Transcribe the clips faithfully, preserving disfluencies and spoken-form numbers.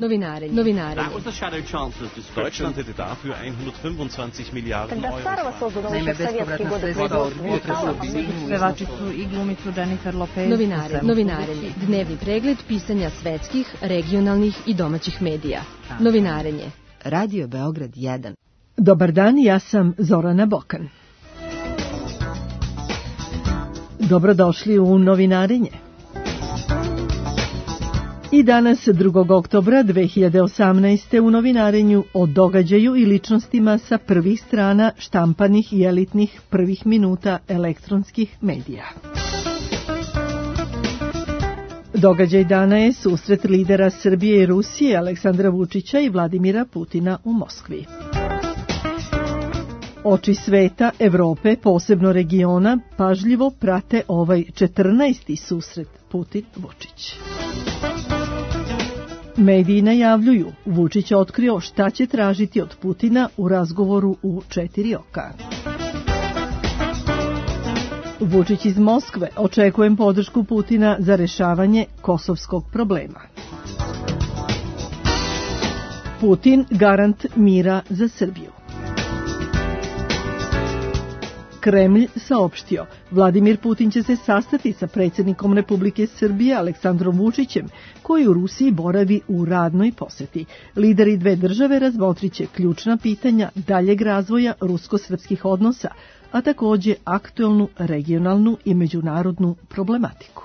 Novinarenje. Novinarenje. Deutschland hätte dafür hundertfünfundzwanzig Milliarden Euro. Naime, bespovratna sredstva od pevačicu i glumicu Jennifer Lopez. Novinarenje. Novinarenje. Dnevni pregled pisanja svetskih, regionalnih i domaćih medija. Novinarenje. Radio Beograd jedan. Dobar dan, ja sam Zorana Bokan. Dobrodošli u Novinarenje. I danas, drugog oktobra dve hiljade osamnaeste. u Novinarenju o događaju i ličnostima sa prvih strana štampanih i elitnih prvih minuta elektronskih medija. Događaj dana je susret lidera Srbije i Rusije Aleksandra Vučića i Vladimira Putina u Moskvi. Oči sveta, Evrope, posebno regiona, pažljivo prate ovaj četrnaesti susret Putin-Vučić. Mediji najavljuju, Vučić otkrio šta će tražiti od Putina u razgovoru u četiri oka. Vučić iz Moskve, očekujem podršku Putina za rešavanje kosovskog problema. Putin garant mira za Srbiju. Kremlj saopštio, Vladimir Putin će se sastati sa predsjednikom Republike Srbije Aleksandrom Vučićem, koji u Rusiji boravi u radnoj poseti. Lideri dve države razmotrit će ključna pitanja daljeg razvoja rusko-srpskih odnosa, a takođe aktuelnu regionalnu i međunarodnu problematiku.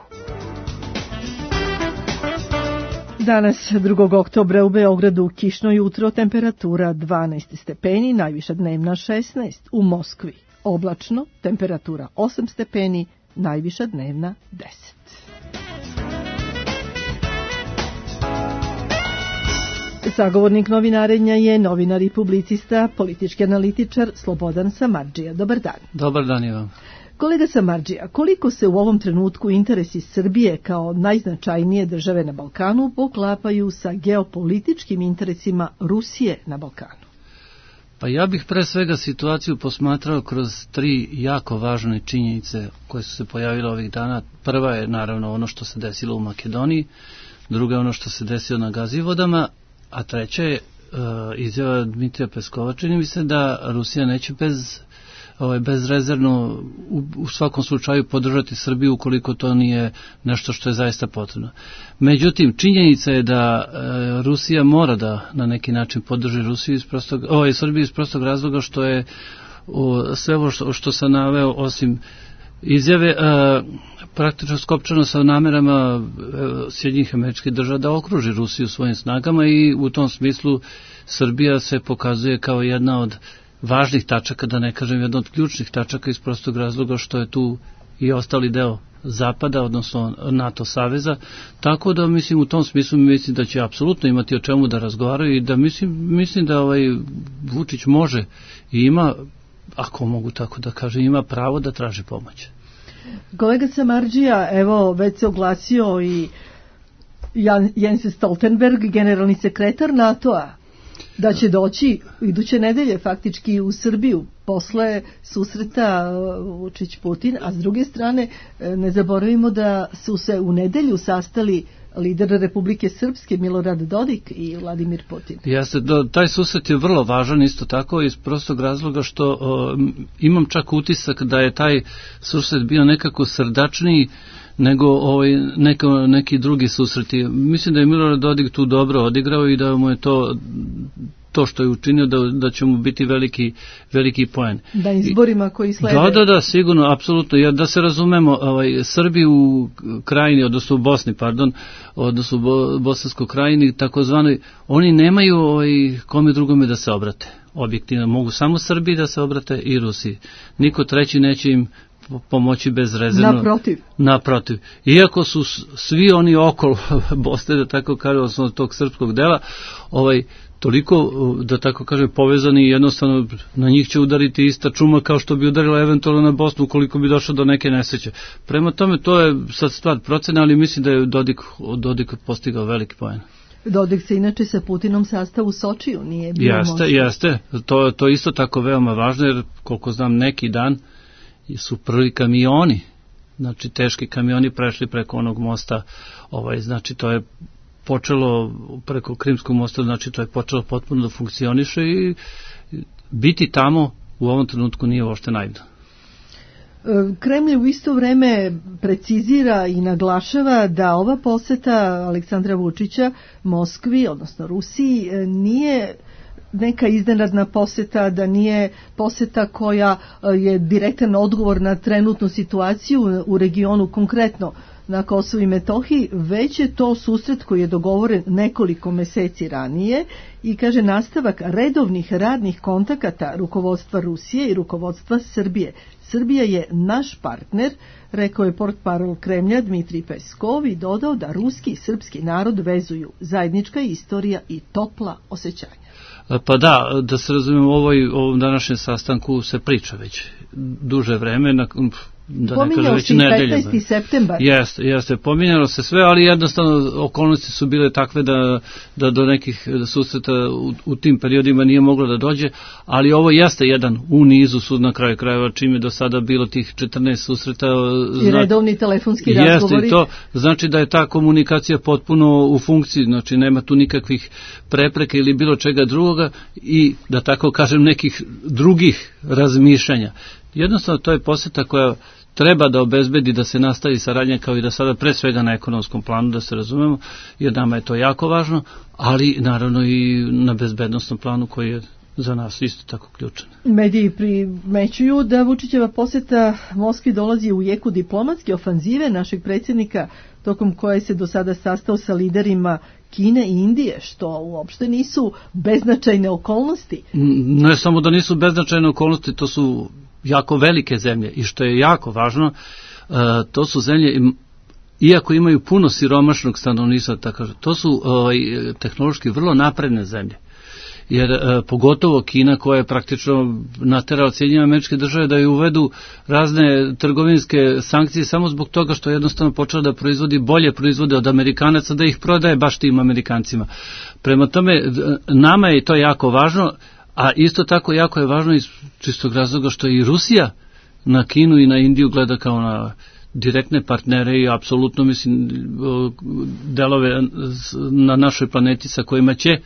Danas, drugog oktobra, u Beogradu kišno jutro, temperatura dvanaest stepeni, najviša dnevna šesnaest, u Moskvi oblačno, temperatura osam stepeni, najviša dnevna deset. Sagovornik novinarenja je novinar i publicista, politički analitičar Slobodan Samardžija. Dobar dan. Dobar dan i vam. Kolega Samardžija, koliko se u ovom trenutku interesi Srbije kao najznačajnije države na Balkanu poklapaju sa geopolitičkim interesima Rusije na Balkanu? Pa ja bih pre svega situaciju posmatrao kroz tri jako važne činjenice koje su se pojavile ovih dana. Prva je naravno ono što se desilo u Makedoniji, druga je ono što se desilo na Gazivodama, a treća je uh, izjava Dmitrija Peskova. Čini mi se da Rusija neće bez, ovaj, bezrezervno u, u svakom slučaju podržati Srbiju ukoliko to nije nešto što je zaista potrebno. Međutim, činjenica je da e, Rusija mora da na neki način podrži Rusiju iz prostog, ovaj, Srbiju iz prostog razloga što je o, sve ovo što, što sam naveo osim izjave e, praktično skopčano sa namerama e, Sjedinjenih Američkih Država da okruži Rusiju svojim snagama i u tom smislu Srbija se pokazuje kao jedna od važnih tačaka, da ne kažem jedna od ključnih tačaka iz prostog razloga što je tu i ostali deo Zapada, odnosno NATO saveza, tako da mislim u tom smislu mislim da će apsolutno imati o čemu da razgovaraju i da mislim, mislim da ovaj Vučić može i ima, ako mogu tako da kažem, ima pravo da traži pomoć. Kolega Samardžija, evo već se oglasio i Jan, Jens Stoltenberg, generalni sekretar NATO-a, da će doći iduće nedelje faktički u Srbiju posle susreta Vučić-Putin, a s druge strane ne zaboravimo da su se u nedelju sastali lider Republike Srpske Milorad Dodik i Vladimir Putin. Jeste, taj susret je vrlo važan isto tako iz prostog razloga što o, imam čak utisak da je taj susret bio nekako srdačniji nego ovaj, neko, neki drugi susreti. Mislim da je Milorad Dodik tu dobro odigrao i da mu je to to što je učinio da, da će mu biti veliki, veliki poen. Da izborima koji slede. Da, da, da, sigurno, apsolutno. Ja, da se razumemo, ovaj, Srbi u krajini, odnosno u Bosni, pardon, odnosno u Bo, Bosanskoj krajini, takozvani, oni nemaju ovaj, kome drugome da se obrate. Objektivno, mogu samo Srbi da se obrate i Rusiji. Niko treći neće im pomoći bezrezervno. Naprotiv. Naprotiv. Iako su svi oni okolo Bosne, da tako kažem, odnosno tog srpskog dela, ovaj, toliko, da tako kažem, povezani i jednostavno na njih će udariti ista čuma kao što bi udarila eventualno na Bosnu ukoliko bi došlo do neke nesreće. Prema tome, to je sad stvar procene, ali mislim da je Dodik, Dodik postigao veliki poen. Dodik se inače sa Putinom sastav u Sočiju, nije bio jeste, možda. Jeste, to, to isto tako veoma važno, jer koliko znam neki dan su prvi kamioni, znači teški kamioni prešli preko onog mosta, ovaj, znači to je počelo preko Krimskog mosta, znači to je počelo potpuno da funkcioniše i biti tamo u ovom trenutku nije uopšte naivno. Kremlj u isto vreme precizira i naglašava da ova poseta Aleksandra Vučića Moskvi, odnosno Rusiji, nije neka iznenadna poseta, da nije poseta koja je direktan odgovor na trenutnu situaciju u regionu, konkretno na Kosovu i Metohiji, već je to susret koji je dogovoren nekoliko meseci ranije i kaže nastavak redovnih radnih kontakata rukovodstva Rusije i rukovodstva Srbije. Srbija je naš partner, rekao je portparol Kremlja Dmitrij Peskov i dodao da ruski i srpski narod vezuju zajednička istorija i topla osjećanja. Pa da, da se razumijemo, ovoj, ovom današnjem sastanku se priča već duže vreme, na, da ne kažem već nedelje. petnaesti septembar. Jeste, jeste, pominjalo se sve, ali jednostavno okolnosti su bile takve da, da do nekih susreta u, u tim periodima nije moglo da dođe, ali ovo jeste jedan u nizu sud na kraju krajeva, čim je do sada bilo tih četrnaest susreta. I redovni telefonski razgovori. Jeste, to znači da je ta komunikacija potpuno u funkciji, znači nema tu nikakvih prepreka ili bilo čega drugoga i da tako kažem nekih drugih razmišljanja. Jednostavno to je poseta koja treba da obezbedi da se nastavi saradnja kao i da sada pre svega na ekonomskom planu, da se razumemo, jer nama je to jako važno, ali naravno i na bezbednostnom planu koji je za nas isto tako ključan. Mediji primećuju da Vučićeva poseta Moskvi dolazi u jeku diplomatske ofanzive našeg predsjednika, tokom koje se do sada sastao sa liderima Kine i Indije, što uopšte nisu beznačajne okolnosti. Ne samo da nisu beznačajne okolnosti, to su jako velike zemlje i što je jako važno, to su zemlje, iako imaju puno siromašnog stanovništva, tako, to su ovaj, tehnološki vrlo napredne zemlje. Jer e, pogotovo Kina koja je praktično naterala Sjedinjene Američke Države da je uvedu razne trgovinske sankcije samo zbog toga što je jednostavno počela da proizvodi bolje proizvode od Amerikanaca, da ih prodaje baš tim Amerikancima. Prema tome, nama je to jako važno, a isto tako jako je važno iz čistog razloga što i Rusija na Kinu i na Indiju gleda kao na direktne partnere i apsolutno mislim delove na našoj planeti sa kojima će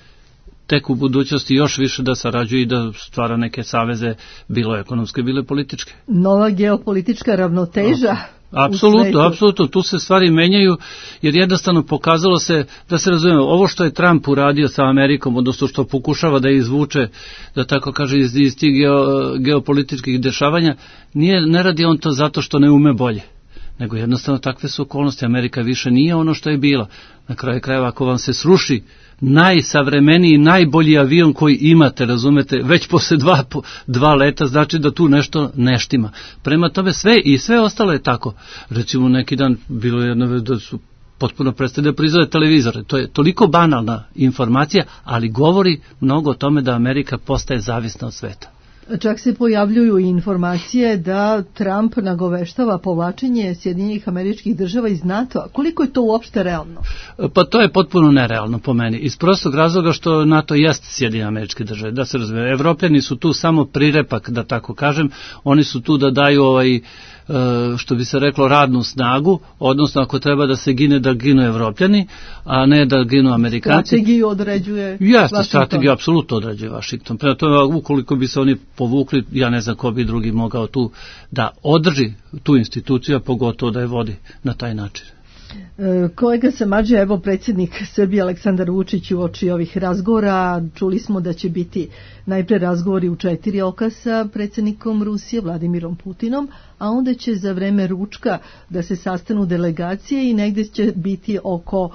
tek u budućnosti još više da sarađuje i da stvara neke saveze, bilo ekonomske, bilo političke. Nova geopolitička ravnoteža. Apsolutno, apsolutno, tu se stvari menjaju, jer jednostavno pokazalo se, da se razumemo, ovo što je Trump uradio sa Amerikom, odnosno što pokušava da izvuče, da tako kaže, iz, iz tih geo, geopolitičkih dešavanja, nije, ne radi on to zato što ne ume bolje, nego jednostavno takve su okolnosti. Amerika više nije ono što je bila. Na kraju krajeva, ako vam se sruši najsavremeniji, najbolji avion koji imate, razumete, već posle dva, dva leta, znači da tu nešto neštima. Prema tome sve i sve ostalo je tako. Recimo neki dan bilo jedno da su potpuno prestali da proizvode televizore. To je toliko banalna informacija, ali govori mnogo o tome da Amerika postaje zavisna od sveta. Čak se pojavljuju i informacije da Trump nagoveštava povlačenje Sjedinjenih Američkih Država iz NATO-a. Koliko je to uopšte realno? Pa to je potpuno nerealno po meni. Iz prostog razloga što NATO jest Sjedinjene Američke Države. Da se razumije, Evropljani su tu samo prirepak, da tako kažem. Oni su tu da daju ovaj, što bi se reklo, radnu snagu, odnosno ako treba da se gine, da ginu Evropljani, a ne da ginu Amerikanci. Strategiju određuje Jeste, strategiju apsolutno određuje Vašington. Prema tome, ukoliko bi se oni povukli, ja ne znam ko bi drugi mogao tu da održi tu instituciju, a pogotovo da je vodi na taj način. Kolega Samardžija, evo predsjednik Srbije Aleksandar Vučić uoči ovih razgovora, čuli smo da će biti najpre razgovori u četiri oka sa predsjednikom Rusije Vladimirom Putinom, a onda će za vreme ručka da se sastanu delegacije i negdje će biti oko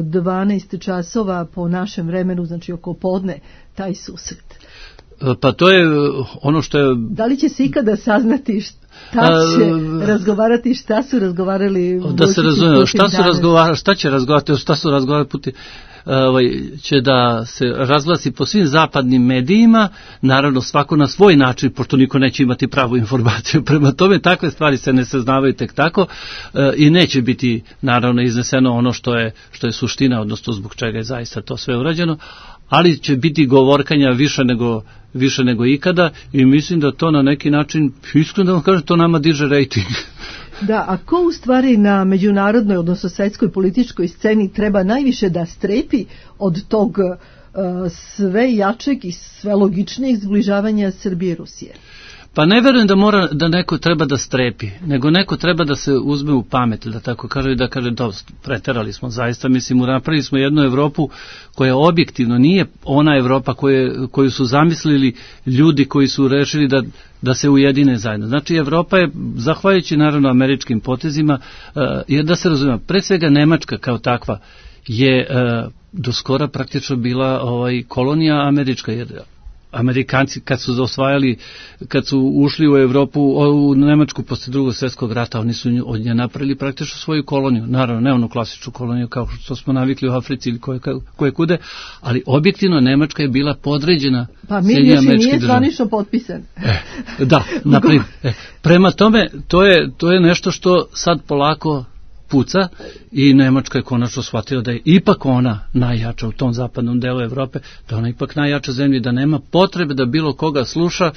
dvanaest časova po našem vremenu, znači oko podne, taj susret. Pa to je ono što je... Da li će se ikada saznati šta će A, razgovarati, šta su razgovarali? Da se razume, šta su razgovarali, šta će razgovarati, šta su razgovarali Putin? Ovaj, će da se razglasi po svim zapadnim medijima, naravno svako na svoj način, pošto niko neće imati pravu informaciju. Prema tome, takve stvari se ne saznavaju tek tako e, i neće biti naravno izneseno ono što je, što je suština, odnosno zbog čega je zaista to sve urađeno, ali će biti govorkanja više nego, više nego ikada i mislim da to na neki način, iskreno da vam kažem, to nama diže rejting. Da, a ko u stvari na međunarodnoj, odnosno svetskoj političkoj sceni treba najviše da strepi od tog uh, sve jačeg i sve logičnijeg zbližavanja Srbije i Rusije? Pa ne verujem da mora da neko treba da strepi, nego neko treba da se uzme u pamet, da tako kaže, i da kaže da preterali smo zaista, mislim, napravili smo jednu Evropu koja objektivno nije ona Evropa koje, koju su zamislili ljudi koji su rešili da, da se ujedine zajedno. Znači Evropa je, zahvaljujući naravno američkim potezima, uh, jer da se razumije, pre svega Nemačka kao takva je uh, do skora praktično bila ovaj, kolonija američka, jer Amerikanci kad su osvajali, kad su ušli u Evropu, u Nemačku posle drugog svjetskog rata, oni su od nje napravili praktično svoju koloniju, naravno ne onu klasičnu koloniju kao što smo navikli u Africi ili koje, koje kude, ali objektivno Nemačka je bila podređena pa mir još i nije zvanično potpisan. E, da, naprimjer. E, prema tome, to je, to je nešto što sad polako puca i Nemačka je konačno shvatila da je ipak ona najjača u tom zapadnom delu Evrope, da ona ipak najjača zemlja, da nema potrebe da bilo koga sluša,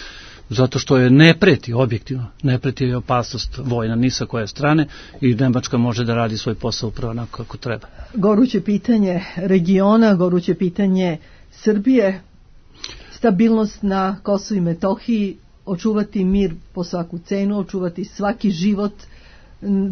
zato što je ne preti, objektivno, ne preti je opasnost vojna ni sa koje strane i Nemačka može da radi svoj posao upravo onako kako treba. Goruće pitanje regiona, goruće pitanje Srbije, stabilnost na Kosovu i Metohiji, očuvati mir po svaku cenu, očuvati svaki život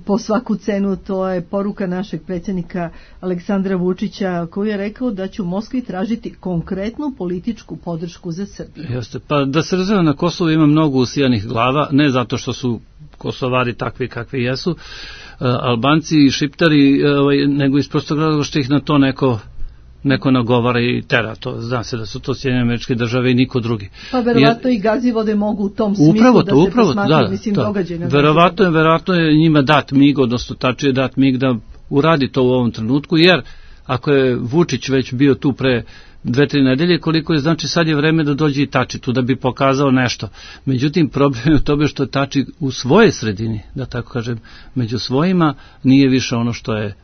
po svaku cenu, to je poruka našeg predsjednika Aleksandra Vučića, koji je rekao da će u Moskvi tražiti konkretnu političku podršku za Srbiju. Jeste, pa da se razumije, na Kosovu ima mnogo usijanih glava, ne zato što su Kosovari takvi kakvi jesu, Albanci i Šiptari, nego iz prostog razloga što ih na to neko neko nagovara i tera, to zna se da su to Sjedinjene Američke Države i niko drugi. Pa verovatno i Gazivode mogu u tom smislu upravo to, da se upravo, posmatraju, da, mislim, to. događaj na verovatno je, verovatno je njima dat mig, odnosno tačije dat mig da uradi to u ovom trenutku, jer ako je Vučić već bio tu pre dve, tri nedelje, koliko je, znači sad je vreme da dođe i Tači tu da bi pokazao nešto. Međutim, problem je u tome što Tači u svojoj sredini, da tako kažem, među svojima, nije više ono što je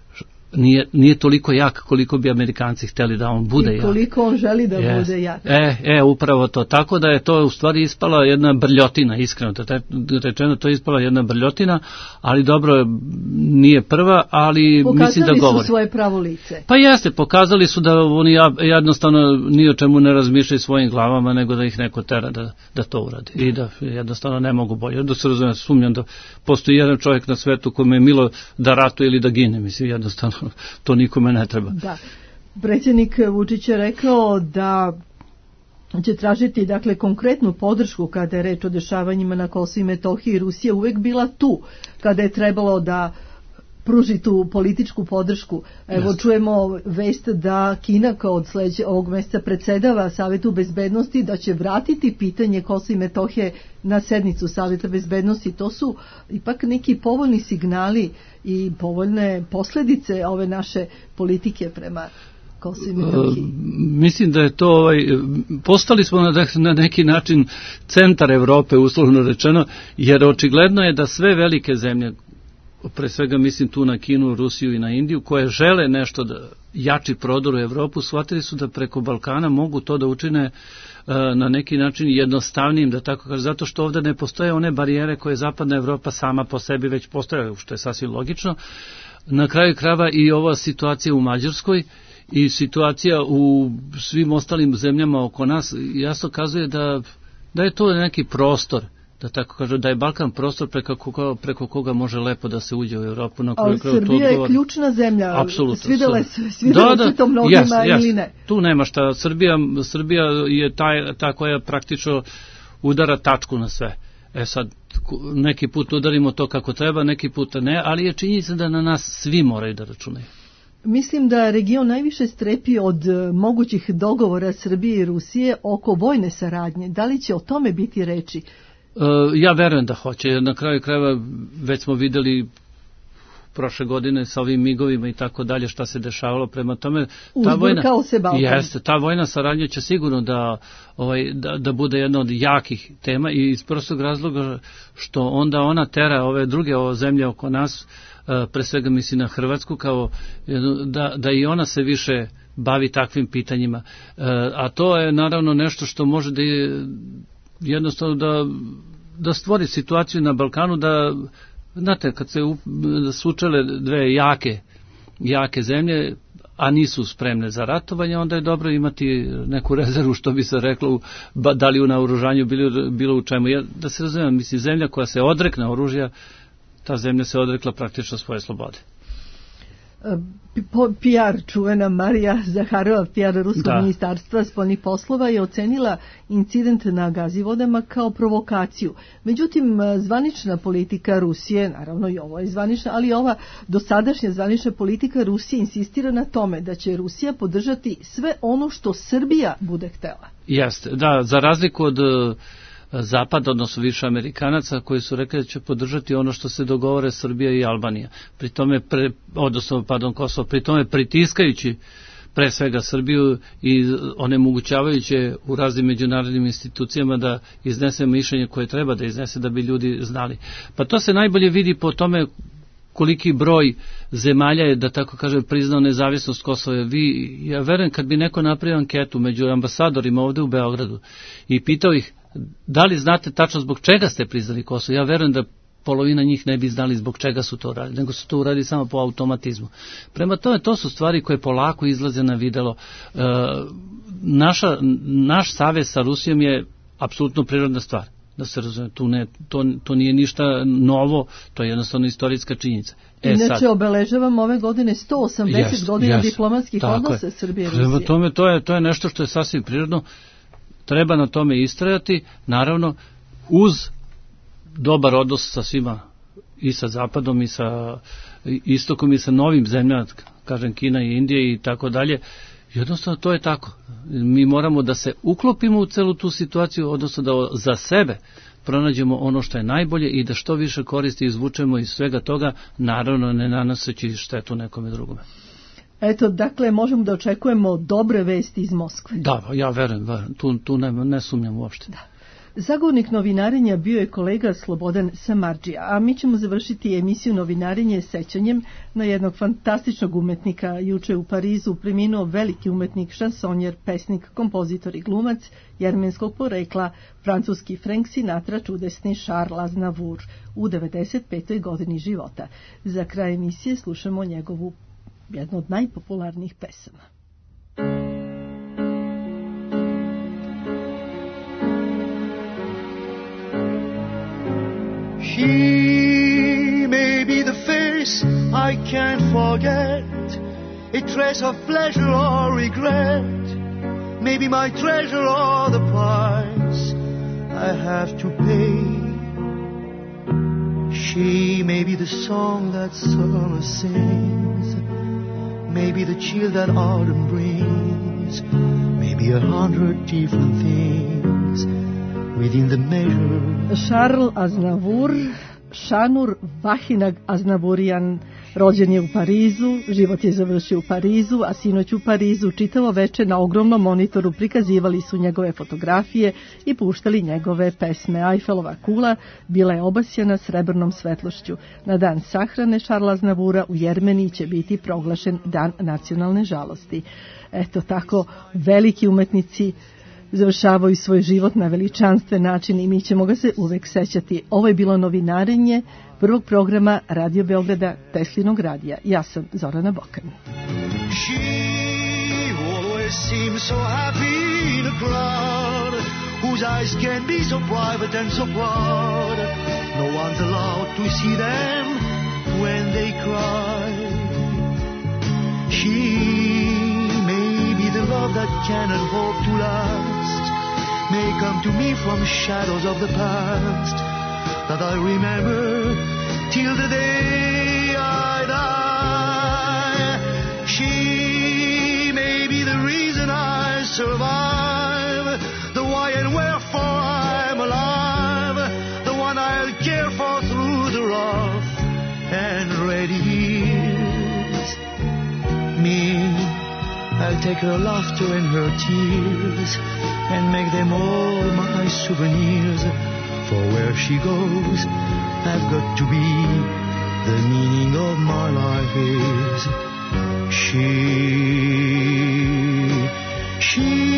Nije, nije toliko jak koliko bi Amerikanci hteli da on bude jak. I koliko jak. On želi da yes. bude jak. E, e, upravo to. Tako da je to u stvari ispala jedna brljotina, iskreno rečeno, to je ispala jedna brljotina, ali dobro, nije prva, ali pokazali mislim da govori. Pokazali su svoje pravo lice. Pa jeste, pokazali su da oni jednostavno ni o čemu ne razmišljaju svojim glavama, nego da ih neko tera da, da to uradi. I da jednostavno ne mogu bolje. Da se razumijem, sumnjam da postoji jedan čovjek na svetu kome je milo da ratuje ili da gine, mislim, jednostavno to nikome ne treba. Da. Predsjednik Vučić je rekao da će tražiti, dakle, konkretnu podršku kada je reč o dešavanjima na Kosovu i Metohiji. Rusija uvek bila tu kada je trebalo da pruži tu političku podršku. Evo yes. čujemo vest da Kina kao od sledeće ovog mjeseca predsedava Savetu bezbednosti, da će vratiti pitanje Kosova i Metohije na sednicu Saveta bezbednosti. To su ipak neki povoljni signali i povoljne posljedice ove naše politike prema Kosovu i Metohiji. Uh, mislim da je to ovaj, postali smo na, na neki način centar Evrope, uslovno rečeno, jer očigledno je da sve velike zemlje, pre svega mislim tu na Kinu, Rusiju i na Indiju, koje žele nešto da jači prodor u Evropu, shvatili su da preko Balkana mogu to da učine uh, na neki način jednostavnijim, da tako kaže, zato što ovdje ne postoje one barijere koje zapadna Evropa sama po sebi već postoje, što je sasvim logično. Na kraju krajeva i ova situacija u Mađarskoj i situacija u svim ostalim zemljama oko nas jasno kazuje da, da je to neki prostor, da tako kažu, da je Balkan prostor preko koga, preko koga može lepo da se uđe u Evropu. Na ali Srbija je ključna zemlja. Apsolutno. Svidjela, svidjela da, da, se to mnogima yes, ili ne? Tu nema šta. Srbija, Srbija je taj, ta koja praktično udara tačku na sve. E sad, neki put udarimo to kako treba, neki puta ne, ali je činjenica da na nas svi moraju da računaju. Mislim da region najviše strepi od mogućih dogovora Srbije i Rusije oko vojne saradnje. Da li će o tome biti reči? Ja verujem da hoće. Na kraju krajeva već smo videli prošle godine sa ovim migovima i tako dalje šta se dešavalo, prema tome ta vojna, se jeste, ta vojna saradnja će sigurno da, ovaj, da, da bude jedna od jakih tema i iz prostog razloga što onda ona tera ove druge ove zemlje oko nas, pre svega misli na Hrvatsku, kao da, da i ona se više bavi takvim pitanjima. A to je naravno nešto što može da je jednostavno da, da stvori situaciju na Balkanu da Znate, kad se sučele dve jake, jake zemlje, a nisu spremne za ratovanje, onda je dobro imati neku rezervu, što bi se reklo, da li u naoružanju bilo, bilo u čemu. Ja, da se razumijem, mislim, zemlja koja se odrekne oružja, ta zemlja se odrekla praktično svoje slobode. P R čuvena Marija Zaharova, P R Ruskog da. ministarstva spoljnih poslova, je ocenila incident na Gazivodama kao provokaciju. Međutim, zvanična politika Rusije, naravno i ovo je zvanična, ali ova dosadašnja zvanična politika Rusije insistira na tome da će Rusija podržati sve ono što Srbija bude htela. Jeste, da, za razliku od Zapad, odnosno više Amerikanaca koji su rekli da će podržati ono što se dogovore Srbija i Albanija. Pri tome, pre, odnosno, pardon, Kosovo, pri tome pritiskajući pre svega Srbiju i onemogućavajući u raznim međunarodnim institucijama da iznese mišljenje koje treba da iznese da bi ljudi znali. Pa to se najbolje vidi po tome koliki broj zemalja je, da tako kažem, priznao nezavisnost Kosova. Vi, ja verujem, kad bi neko napravio anketu među ambasadorima ovde u Beogradu i pitao ih da li znate tačno zbog čega ste priznali Kosovo, ja verujem da polovina njih ne bi znali zbog čega su to uradili, nego su to uradili samo po automatizmu. Prema tome, to su stvari koje polako izlaze na videlo. E, naša, naš savez sa Rusijom je apsolutno prirodna stvar. Da se razume, tu ne, to, to nije ništa novo, to je jednostavno istorijska činjenica. E, Inače, sad, obeležavam ove godine sto osamdeset yes, godina yes, diplomatskih odnosa Srbije i Rusije. Prema tome, to je, to je nešto što je sasvim prirodno. Treba na tome istrajati, naravno, uz dobar odnos sa svima, i sa Zapadom, i sa Istokom, i sa novim zemljama, kažem Kina i Indija i tako dalje. Jednostavno, to je tako. Mi moramo da se uklopimo u celu tu situaciju, odnosno da za sebe pronađemo ono što je najbolje i da što više koristi izvučemo iz svega toga, naravno ne nanoseći štetu nekome drugome. Eto, dakle, možemo da očekujemo dobre vesti iz Moskve. Da, ja verujem, verujem. Tu, tu ne, ne sumnjam uopšte. Da. Zagovornik novinarenja bio je kolega Slobodan Samardžija, a mi ćemo završiti emisiju Novinarenje sećanjem na jednog fantastičnog umetnika. Juče u Parizu preminuo veliki umetnik, šansonjer, pesnik, kompozitor i glumac jermenskog porekla, francuski Frank Sinatra, čudesni Charles Aznavour u devedeset petoj godini života. Za kraj emisije slušamo njegovu jednu od najpopularnijih pesama. She may be the face I can't forget, a trace of pleasure or regret, maybe my treasure or the price I have to pay. She may be the song that summer sings, maybe the chill that autumn brings, maybe a hundred different things within the measure. Charles Aznavour, Šanur Vahinag Aznavourian, rođen je u Parizu, život je završio u Parizu, a sinoć u Parizu čitavo veče na ogromnom monitoru prikazivali su njegove fotografije i puštali njegove pesme. Eifelova kula bila je obasjana srebrnom svetlošću. Na dan sahrane Charlesa Aznavoura u Jermeniji će biti proglašen dan nacionalne žalosti. Eto tako, veliki umetnici završavaju svoj život na veličanstven način i mi ćemo ga se uvek sećati. Ovo je bilo novinarenje prvog programa Radio Beograda, Teslinog radija. Ja sam Zorana Bokan. She always seems so happy in a crowd, whose eyes can be so private and so proud. No one's allowed to see them when they cry. She the love that cannot hope to last may come to me from shadows of the past that I remember till the day I die. She may be the reason I survive, the why and wherefore I'm alive, the one I'll care for through the rough and ready years. Me, I'll take her laughter and her tears and make them all my souvenirs. For where she goes, I've got to be. The meaning of my life is she. She